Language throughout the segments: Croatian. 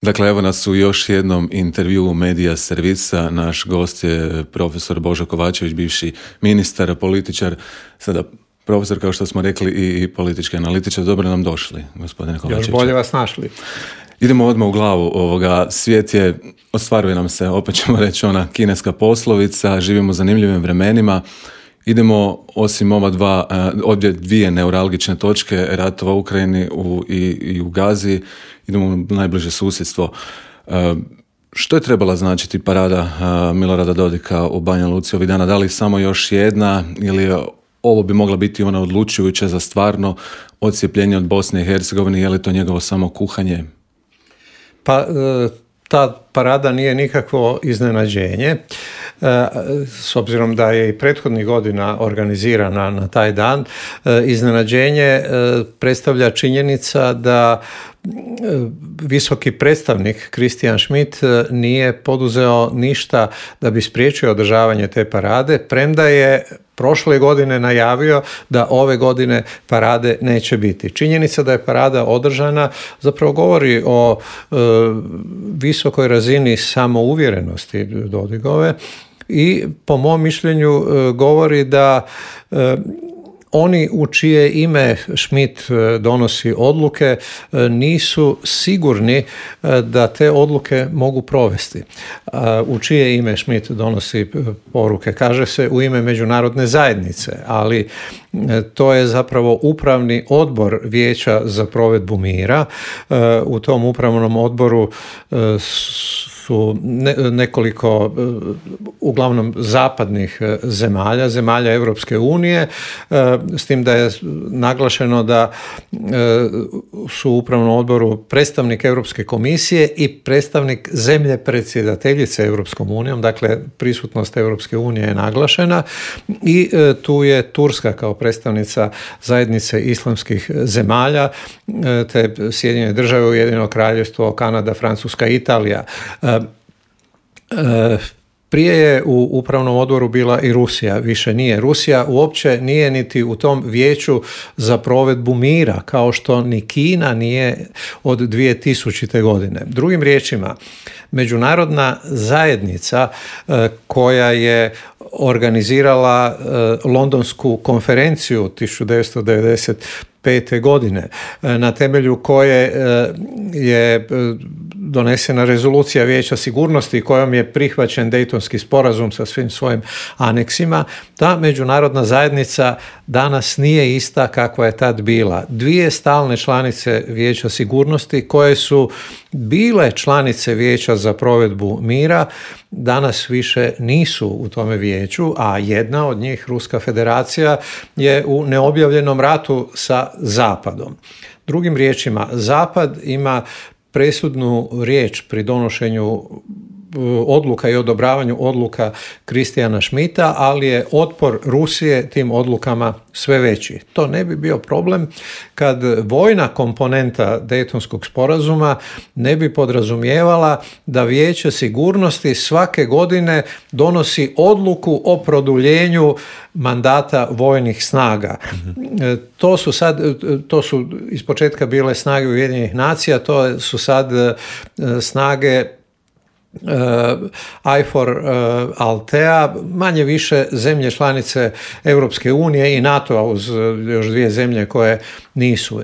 Dakle, evo nas u još jednom intervjuu Medija servisa. Naš gost je profesor Božo Kovačević, bivši ministar, političar, sada profesor, kao što smo rekli, i politički analitičar. Dobro nam došli, gospodine Kovačević. Još bolje vas našli. Idemo odmah u glavu ovoga. Svijet je, ostvaruje nam se, opet ćemo reći, ona kineska poslovica, živimo u zanimljivim vremenima. Idemo, osim ovdje dvije neuralgične točke, ratova u Ukrajini i u Gazi, idemo u najbliže susjedstvo. Što je trebala značiti parada Milorada Dodika u Banja Luci ovih dana? Da li samo još jedna ili ovo bi mogla biti ona odlučujuća za stvarno odcijepljenje od Bosne i Hercegovine? Je li to njegovo samo kuhanje? Pa ta parada nije nikakvo iznenađenje, s obzirom da je i prethodnih godina organizirana na taj dan. Iznenađenje predstavlja činjenica da visoki predstavnik Christian Schmidt nije poduzeo ništa da bi spriječio održavanje te parade, premda je prošle godine najavio da ove godine parade neće biti. Činjenica da je parada održana zapravo govori o visokoj razini samouvjerenosti Dodigove i po mom mišljenju govori da oni u čije ime Schmidt donosi odluke nisu sigurni da te odluke mogu provesti. U čije ime Schmidt donosi poruke? Kaže se u ime međunarodne zajednice, ali to je zapravo upravni odbor Vijeća za provedbu mira. U tom upravnom odboru su nekoliko uglavnom zapadnih zemalja Europske unije, s tim da je naglašeno da su u upravnom odboru predstavnik Europske komisije i predstavnik zemlje predsjedateljice Europskom unijom, dakle prisutnost Europske unije je naglašena i tu je Turska kao predstavnica zajednice islamskih zemalja, te Sjedinjene države, Ujedinjeno Kraljevstvo, Kanada, Francuska, Italija. Prije je u upravnom odboru bila i Rusija, više nije. Rusija uopće nije niti u tom vijeću za provedbu mira, kao što ni Kina nije od 2000. godine. Drugim riječima, međunarodna zajednica koja je organizirala Londonsku konferenciju 1995. godine, na temelju koje je donesena rezolucija Vijeća sigurnosti kojom je prihvaćen Dejtonski sporazum sa svim svojim aneksima, ta međunarodna zajednica danas nije ista kakva je tad bila. Dvije stalne članice Vijeća sigurnosti koje su bile članice Vijeća za provedbu mira danas više nisu u tome vijeću, a jedna od njih, Ruska federacija, je u neobjavljenom ratu sa Zapadom. Drugim riječima, Zapad ima presudnu riječ pri donošenju odluka i odobravanju odluka Christiana Schmidta, ali je otpor Rusije tim odlukama sve veći. To ne bi bio problem kad vojna komponenta Dejtonskog sporazuma ne bi podrazumijevala da Vijeće sigurnosti svake godine donosi odluku o produljenju mandata vojnih snaga. To su ispočetka bile snage Ujedinjenih nacija, to su sad snage IFOR Altea, manje više zemlje članice Europske unije i NATO-a uz još dvije zemlje koje nisu.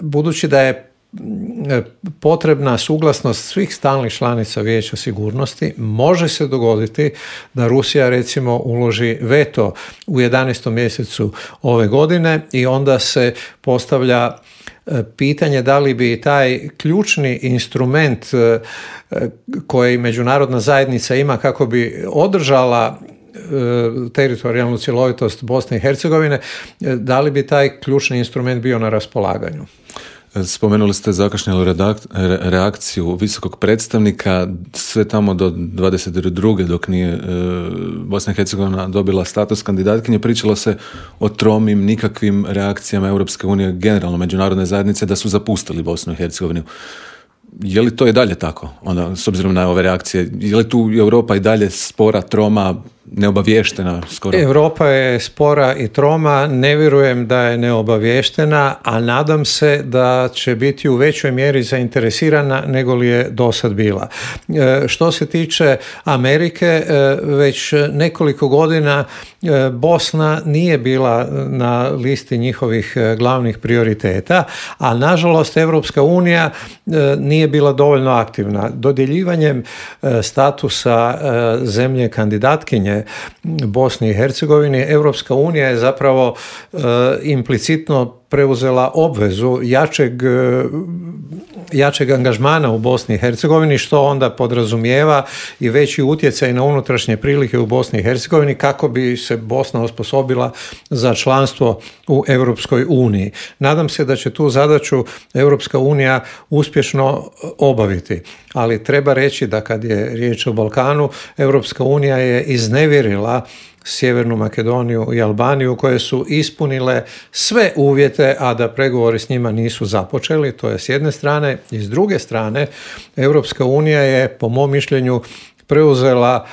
Budući da je potrebna suglasnost svih stalnih članica Vijeća sigurnosti, može se dogoditi da Rusija recimo uloži veto u 11. mjesecu ove godine i onda se postavlja pitanje da li bi taj ključni instrument koji međunarodna zajednica ima kako bi održala teritorijalnu cjelovitost Bosne i Hercegovine, da li bi taj ključni instrument bio na raspolaganju. Spomenuli ste zakašnjelu reakciju visokog predstavnika, sve tamo do 22. dok nije Bosna i Hercegovina dobila status kandidatkinje, pričalo se o tromim, nikakvim reakcijama Europske unije, generalno međunarodne zajednice, da su zapustili Bosnu i Hercegovinu. Je li to i dalje tako, onda, s obzirom na ove reakcije? Je li tu Europa i dalje spora, troma, neobaviještena skoro? Europa je spora i troma, ne vjerujem da je neobaviještena, a nadam se da će biti u većoj mjeri zainteresirana nego li je do sad bila. Što se tiče Amerike, već nekoliko godina Bosna nije bila na listi njihovih glavnih prioriteta, a nažalost Europska unija nije bila dovoljno aktivna. Dodjeljivanjem statusa zemlje kandidatkinje Bosni i Hercegovini, Europska unija je zapravo implicitno preuzela obvezu jačeg angažmana u Bosni i Hercegovini, što onda podrazumijeva i veći utjecaj na unutrašnje prilike u Bosni i Hercegovini kako bi se Bosna osposobila za članstvo u Europskoj uniji. Nadam se da će tu zadaću Europska unija uspješno obaviti, ali treba reći da kad je riječ o Balkanu, Europska unija je iznevjerila Sjevernu Makedoniju i Albaniju koje su ispunile sve uvjete, a da pregovori s njima nisu započeli. To je s jedne strane. I s druge strane, Europska unija je, po mom mišljenju, preuzela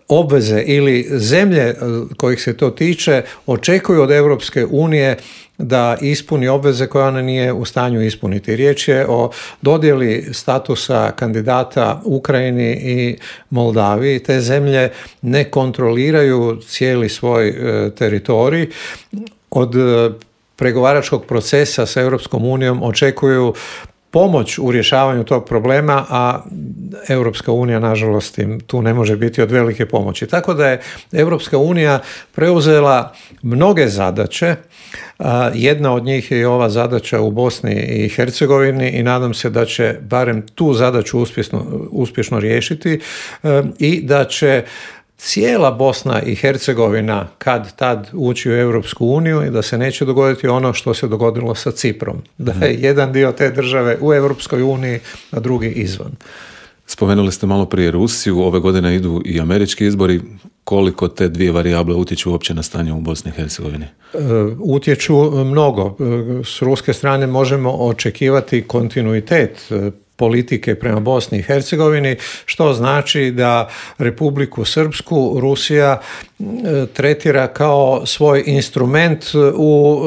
obveze ili zemlje kojih se to tiče očekuju od Europske unije da ispuni obveze koje ona nije u stanju ispuniti. Riječ je o dodjeli statusa kandidata Ukrajini i Moldaviji. Te zemlje ne kontroliraju cijeli svoj teritorij. Od pregovaračkog procesa sa Europskom unijom očekuju pomoć u rješavanju tog problema, a Europska unija nažalost im tu ne može biti od velike pomoći. Tako da je Europska unija preuzela mnoge zadaće. Jedna od njih je i ova zadaća u Bosni i Hercegovini i nadam se da će barem tu zadaću uspješno riješiti i da će cijela Bosna i Hercegovina kad tad ući u Europsku uniju i da se neće dogoditi ono što se dogodilo sa Ciprom. Da je jedan dio te države u Europskoj uniji, a drugi izvan. Spomenuli ste malo prije Rusiju, ove godine idu i američki izbori. Koliko te dvije varijable utječu uopće na stanje u Bosni i Hercegovini? Utječu mnogo. S ruske strane možemo očekivati kontinuitet politike prema Bosni i Hercegovini, što znači da Republiku Srpsku Rusija tretira kao svoj instrument u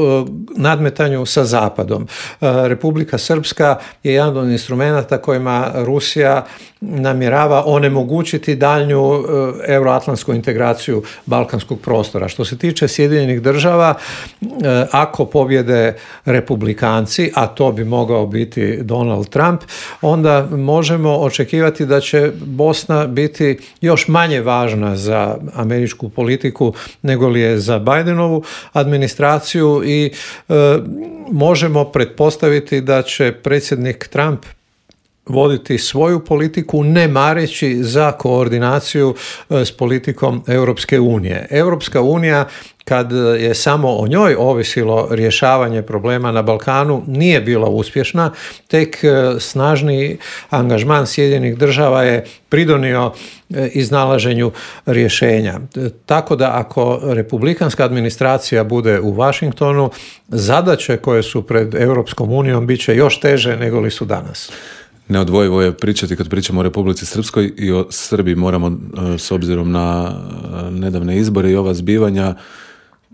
nadmetanju sa Zapadom. Republika Srpska je jedan od instrumenta kojima Rusija namjerava onemogućiti daljnju euroatlantsku integraciju balkanskog prostora. Što se tiče Sjedinjenih država, ako pobjede republikanci, a to bi mogao biti Donald Trump, onda možemo očekivati da će Bosna biti još manje važna za američku politiku nego li je za Bidenovu administraciju i možemo pretpostaviti da će predsjednik Trump voditi svoju politiku ne mareći za koordinaciju s politikom Europske unije. Europska unija, kad je samo o njoj ovisilo rješavanje problema na Balkanu, nije bila uspješna. Tek snažni angažman Sjedinjenih država je pridonio iznalaženju rješenja. Tako da ako republikanska administracija bude u Washingtonu, zadaće koje su pred Europskom unijom bit će još teže nego li su danas. Neodvojivo je pričati kad pričamo o Republici Srpskoj i o Srbiji moramo, s obzirom na nedavne izbore i ova zbivanja.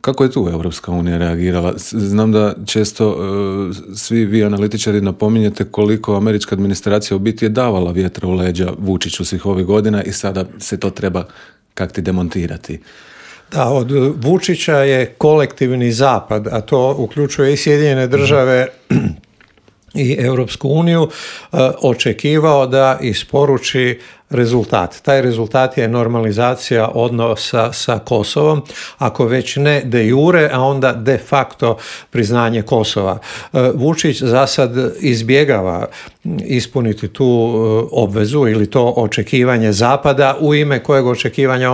Kako je tu Europska unija reagirala? Znam da često svi vi analitičari napominjete koliko američka administracija u biti je davala vjetra u leđa Vučiću svih ovih godina i sada se to treba kakti demontirati. Da, od Vučića je kolektivni zapad, a to uključuje i Sjedinjene države i Europsku uniju, očekivao da isporuči rezultat. Taj rezultat je normalizacija odnosa sa Kosovom, ako već ne de jure, a onda de facto priznanje Kosova. Vučić za sad izbjegava ispuniti tu obvezu ili to očekivanje Zapada, u ime kojeg očekivanja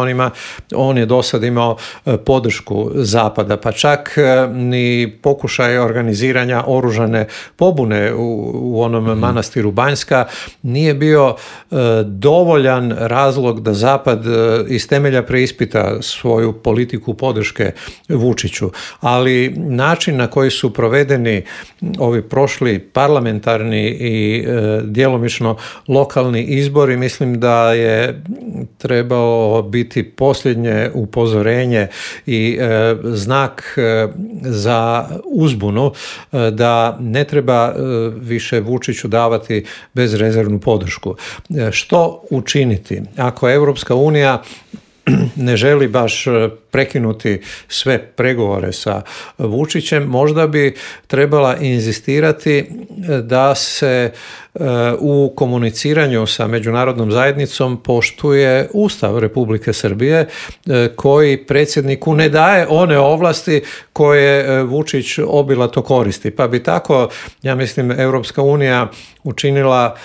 on je do sad imao podršku Zapada, pa čak ni pokušaj organiziranja oružane pobune u onom manastiru Banjska nije bio dovoljno dovoljan razlog da Zapad iz temelja preispita svoju politiku podrške Vučiću, ali način na koji su provedeni ovi prošli parlamentarni i djelomično lokalni izbori, mislim da je trebalo biti posljednje upozorenje i znak za uzbunu da ne treba više Vučiću davati bezrezervnu podršku. Što učiniti ako Europska unija ne želi baš prekinuti sve pregovore sa Vučićem? Možda bi trebala inzistirati da se u komuniciranju sa međunarodnom zajednicom poštuje Ustav Republike Srbije, koji predsjedniku ne daje one ovlasti koje Vučić obilato koristi. Pa bi tako, ja mislim, Europska unija učinila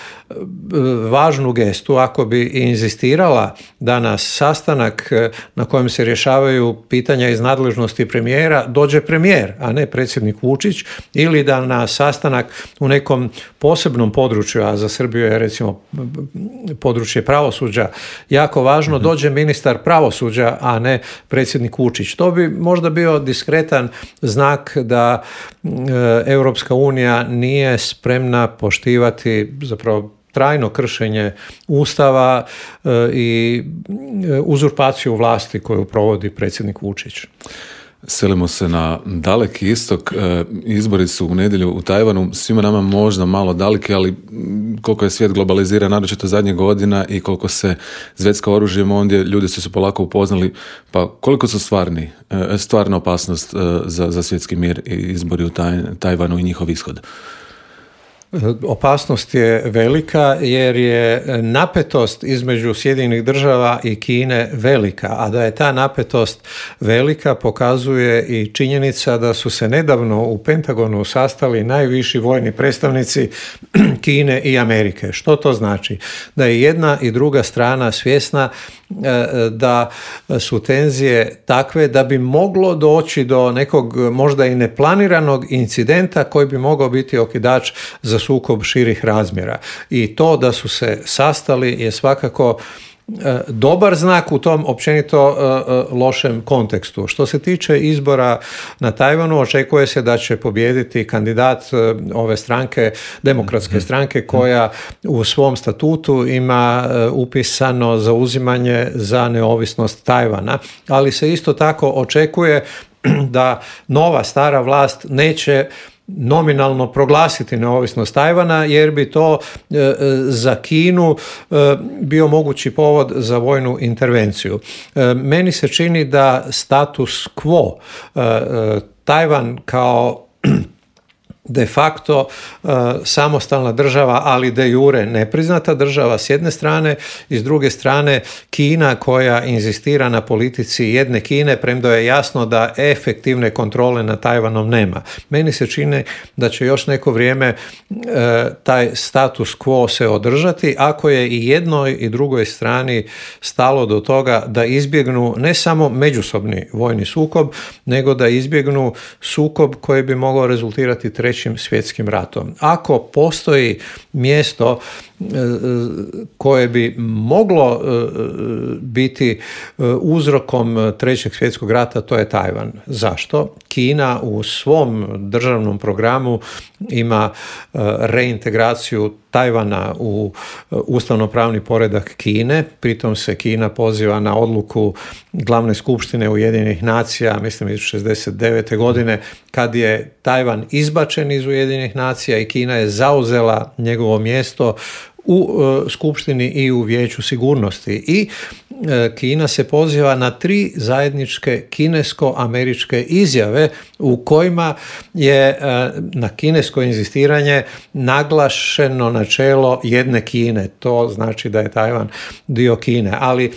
važnu gestu ako bi inzistirala da na sastanak na kojem se rješavaju pitanja iz nadležnosti premijera dođe premijer, a ne predsjednik Vučić, ili da na sastanak u nekom posebnom području, a za Srbiju je recimo područje pravosuđa jako važno, dođe ministar pravosuđa, a ne predsjednik Vučić. To bi možda bio diskretan znak da Europska unija nije spremna poštivati zapravo trajno kršenje Ustava i uzurpaciju vlasti koju provodi predsjednik Vučić. Selimo se na daleki istok. Izbori su u nedjelju u Tajvanu. Svima nama možda malo daleki, ali koliko je svijet globaliziran, naročito zadnjih godina, i koliko se zvecka oružjem ondje, ljudi su se polako upoznali. Pa koliko su stvarna opasnost za svjetski mir i izbori u Tajvanu i njihov ishod? Opasnost je velika jer je napetost između Sjedinjenih Država i Kine velika, a da je ta napetost velika pokazuje i činjenica da su se nedavno u Pentagonu sastali najviši vojni predstavnici Kine i Amerike. Što to znači? Da je jedna i druga strana svjesna da su tenzije takve da bi moglo doći do nekog možda i neplaniranog incidenta koji bi mogao biti okidač za sukob širih razmjera. I to da su se sastali je svakako dobar znak u tom općenito lošem kontekstu. Što se tiče izbora na Tajvanu, očekuje se da će pobijediti kandidat ove stranke, demokratske stranke, koja u svom statutu ima upisano zauzimanje za neovisnost Tajvana, ali se isto tako očekuje da nova stara vlast neće nominalno proglasiti neovisnost Tajvana, jer bi to za Kinu bio mogući povod za vojnu intervenciju. Meni se čini da status quo, Tajvan kao de facto samostalna država, ali de jure nepriznata država s jedne strane, i s druge strane Kina koja inzistira na politici jedne Kine, premda je jasno da efektivne kontrole nad Tajvanom nema. Meni se čini da će još neko vrijeme taj status quo se održati, ako je i jednoj i drugoj strani stalo do toga da izbjegnu ne samo međusobni vojni sukob, nego da izbjegnu sukob koji bi mogao rezultirati trećim svjetskim ratom. Ako postoji mjesto koje bi moglo biti uzrokom trećeg svjetskog rata, to je Tajvan. Zašto? Kina u svom državnom programu ima reintegraciju Tajvana u ustavnopravni poredak Kine, pritom se Kina poziva na odluku glavne skupštine Ujedinjenih nacija, mislim iz 1969. godine, kad je Tajvan izbačen iz Ujedinjenih nacija i Kina je zauzela njegovo mjesto u Skupštini i u Vijeću sigurnosti. I Kina se poziva na 3 zajedničke kinesko-američke izjave u kojima je na kinesko inzistiranje naglašeno načelo jedne Kine. To znači da je Tajvan dio Kine. Ali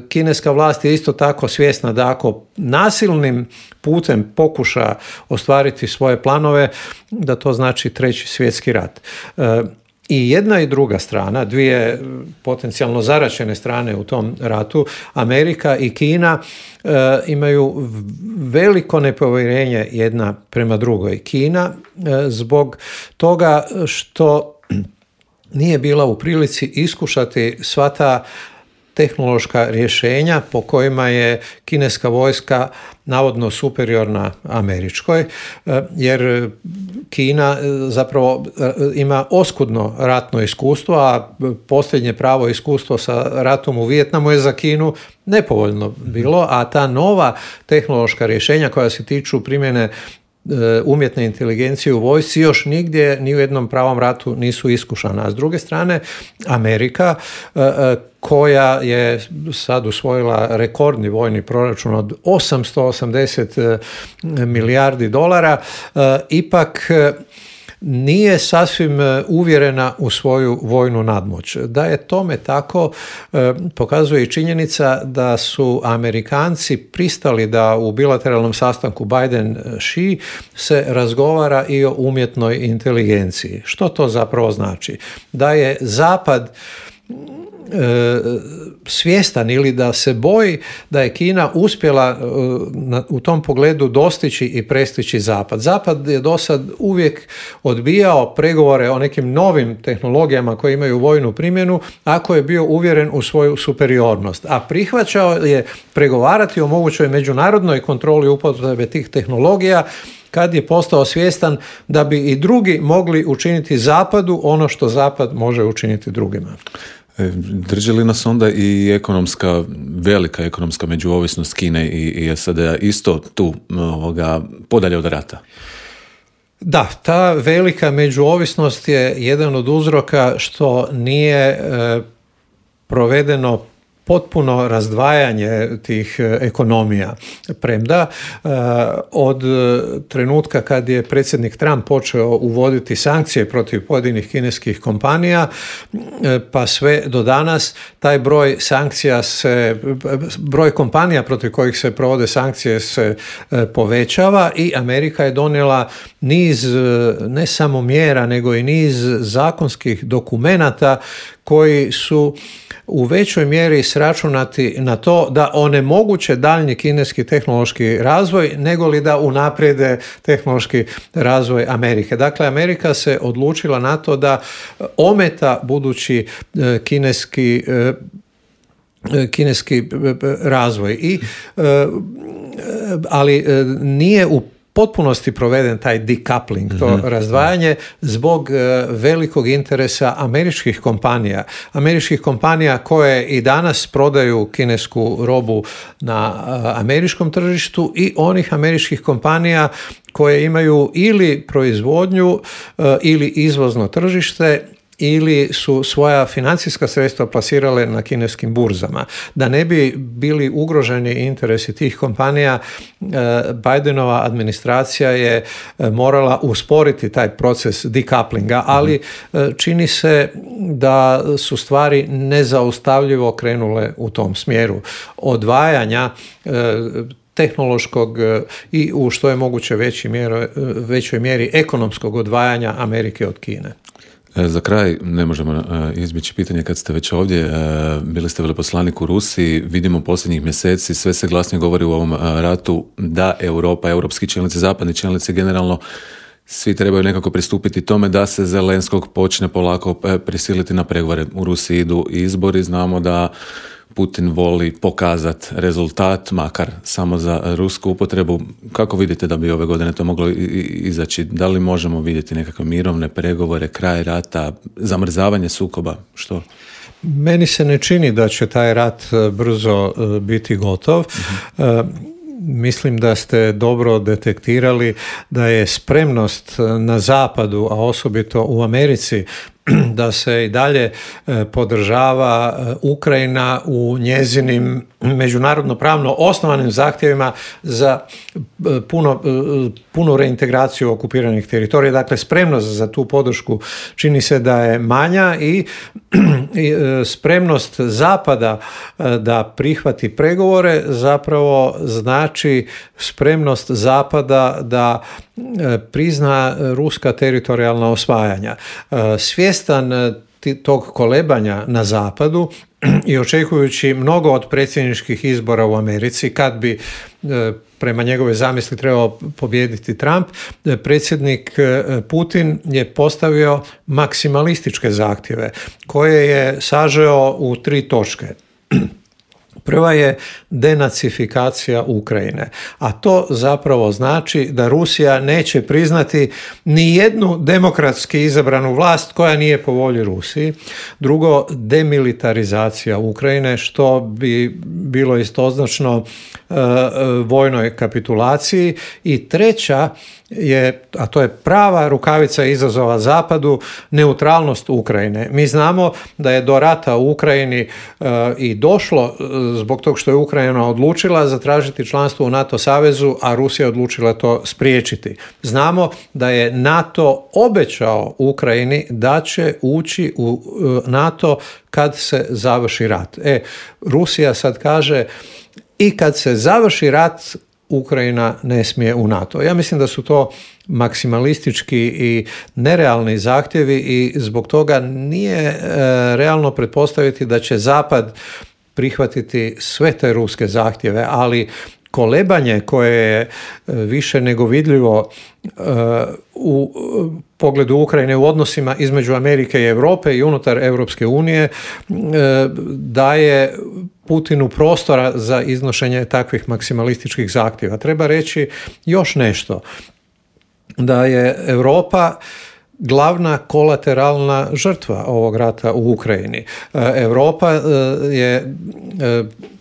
kineska vlast je isto tako svjesna da ako nasilnim putem pokuša ostvariti svoje planove, da to znači treći svjetski rat. I jedna i druga strana, dvije potencijalno zaraćene strane u tom ratu, Amerika i Kina, imaju veliko nepovjerenje jedna prema drugoj. Kina zbog toga što nije bila u prilici iskušati sva ta tehnološka rješenja po kojima je kineska vojska navodno superiorna američkoj, jer Kina zapravo ima oskudno ratno iskustvo, a posljednje pravo iskustvo sa ratom u Vijetnamu je za Kinu nepovoljno bilo, a ta nova tehnološka rješenja koja se tiču primjene umjetne inteligencije u vojsci još nigdje ni u jednom pravom ratu nisu iskušana. A s druge strane, Amerika koja je sad usvojila rekordni vojni proračun od 880 milijardi dolara, ipak nije sasvim uvjerena u svoju vojnu nadmoć. Da je tome tako, pokazuje i činjenica da su Amerikanci pristali da u bilateralnom sastanku Biden-Xi se razgovara i o umjetnoj inteligenciji. Što to zapravo znači? Da je Zapad svjestan ili da se boji da je Kina uspjela u tom pogledu dostići i prestići Zapad. Zapad je do sad uvijek odbijao pregovore o nekim novim tehnologijama koje imaju vojnu primjenu ako je bio uvjeren u svoju superiornost, a prihvaćao je pregovarati o mogućoj međunarodnoj kontroli upotrebe tih tehnologija kad je postao svjestan da bi i drugi mogli učiniti Zapadu ono što Zapad može učiniti drugima. Drži li nas onda i velika ekonomska međuovisnost Kine i SAD-a isto tu podalje od rata? Da, ta velika međuovisnost je jedan od uzroka što nije provedeno potpuno razdvajanje tih ekonomija. Premda od trenutka kad je predsjednik Trump počeo uvoditi sankcije protiv pojedinih kineskih kompanija, pa sve do danas, taj broj kompanija protiv kojih se provode sankcije se povećava i Amerika je donijela niz ne samo mjera, nego i niz zakonskih dokumenata koji su u većoj mjeri sračunati na to da onemoguće daljnji kineski tehnološki razvoj, nego li da unaprijede tehnološki razvoj Amerike. Dakle, Amerika se odlučila na to da ometa budući kineski razvoj. Ali nije u potpunosti proveden taj decoupling, to razdvajanje zbog velikog interesa američkih kompanija koje i danas prodaju kinesku robu na američkom tržištu i onih američkih kompanija koje imaju ili proizvodnju ili izvozno tržište ili su svoja financijska sredstva plasirale na kineskim burzama. Da ne bi bili ugroženi interesi tih kompanija, Bidenova administracija je morala usporiti taj proces decouplinga, ali čini se da su stvari nezaustavljivo krenule u tom smjeru odvajanja tehnološkog i u što je moguće većoj mjeri ekonomskog odvajanja Amerike od Kine. Za kraj, ne možemo izbjeći pitanje kad ste već ovdje, bili ste veleposlanik u Rusiji, vidimo posljednjih mjeseci, sve se glasnije govori u ovom ratu da Europa, europski čelnici, zapadni čelnici generalno, svi trebaju nekako pristupiti tome da se Zelenskog počne polako prisiliti na pregovore. U Rusiji idu izbori, znamo da Putin voli pokazati rezultat, makar samo za rusku upotrebu. Kako vidite da bi ove godine to moglo izaći? Da li možemo vidjeti nekakve mirovne pregovore, kraj rata, zamrzavanje sukoba? Što? Meni se ne čini da će taj rat brzo biti gotov. Mislim da ste dobro detektirali da je spremnost na zapadu, a osobito u Americi, da se i dalje podržava Ukrajina u njezinim međunarodno pravno osnovanim zahtjevima za punu reintegraciju okupiranih teritorija. Dakle, spremnost za tu podršku čini se da je manja i spremnost Zapada da prihvati pregovore zapravo znači spremnost Zapada da prizna ruska teritorijalna osvajanja. Svjestan tog kolebanja na zapadu i očekujući mnogo od predsjedničkih izbora u Americi, kad bi prema njegove zamisli trebao pobijediti Trump, predsjednik Putin je postavio maksimalističke zahtjeve koje je sažeo u 3 točke. Prva je denacifikacija Ukrajine, a to zapravo znači da Rusija neće priznati ni jednu demokratski izabranu vlast koja nije po volji Rusiji. Drugo, demilitarizacija Ukrajine, što bi bilo istoznačno vojnoj kapitulaciji. I treća je, a to je prava rukavica izazova Zapadu, neutralnost Ukrajine. Mi znamo da je do rata u Ukrajini i došlo zbog tog što je Ukrajina odlučila zatražiti članstvo u NATO savezu, a Rusija je odlučila to spriječiti. Znamo da je NATO obećao Ukrajini da će ući u NATO kad se završi rat. Rusija sad kaže i kad se završi rat Ukrajina ne smije u NATO. Ja mislim da su to maksimalistički i nerealni zahtjevi i zbog toga nije realno pretpostaviti da će Zapad prihvatiti sve te ruske zahtjeve, ali kolebanje koje je više nego vidljivo u pogledu Ukrajine u odnosima između Amerike i Europe i unutar Europske unije daje Putinu prostora za iznošenje takvih maksimalističkih zahtjeva. Treba reći još nešto, da je Europa glavna kolateralna žrtva ovog rata u Ukrajini. Europa je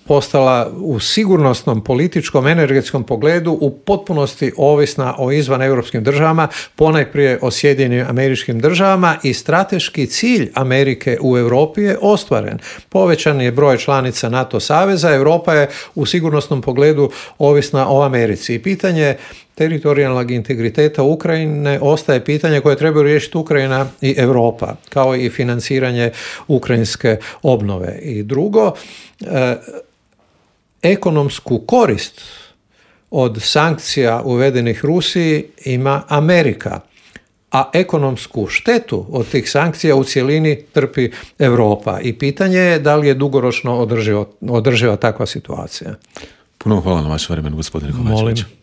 postala u sigurnosnom, političkom, energetskom pogledu u potpunosti ovisna o izvaneuropskim državama, ponajprije o Sjedinjenim Američkim Državama, i strateški cilj Amerike u Europi je ostvaren. Povećan je broj članica NATO saveza, Europa je u sigurnosnom pogledu ovisna o Americi. I pitanje teritorijalnog integriteta Ukrajine ostaje pitanje koje trebaju riješiti Ukrajina i Europa, kao i financiranje ukrajinske obnove. I drugo, ekonomsku korist od sankcija uvedenih Rusiji ima Amerika, a ekonomsku štetu od tih sankcija u cjelini trpi Europa. I pitanje je da li je dugoročno održiva takva situacija. Puno hvala na vašem vremenu, gospodine Kovačević. Molim.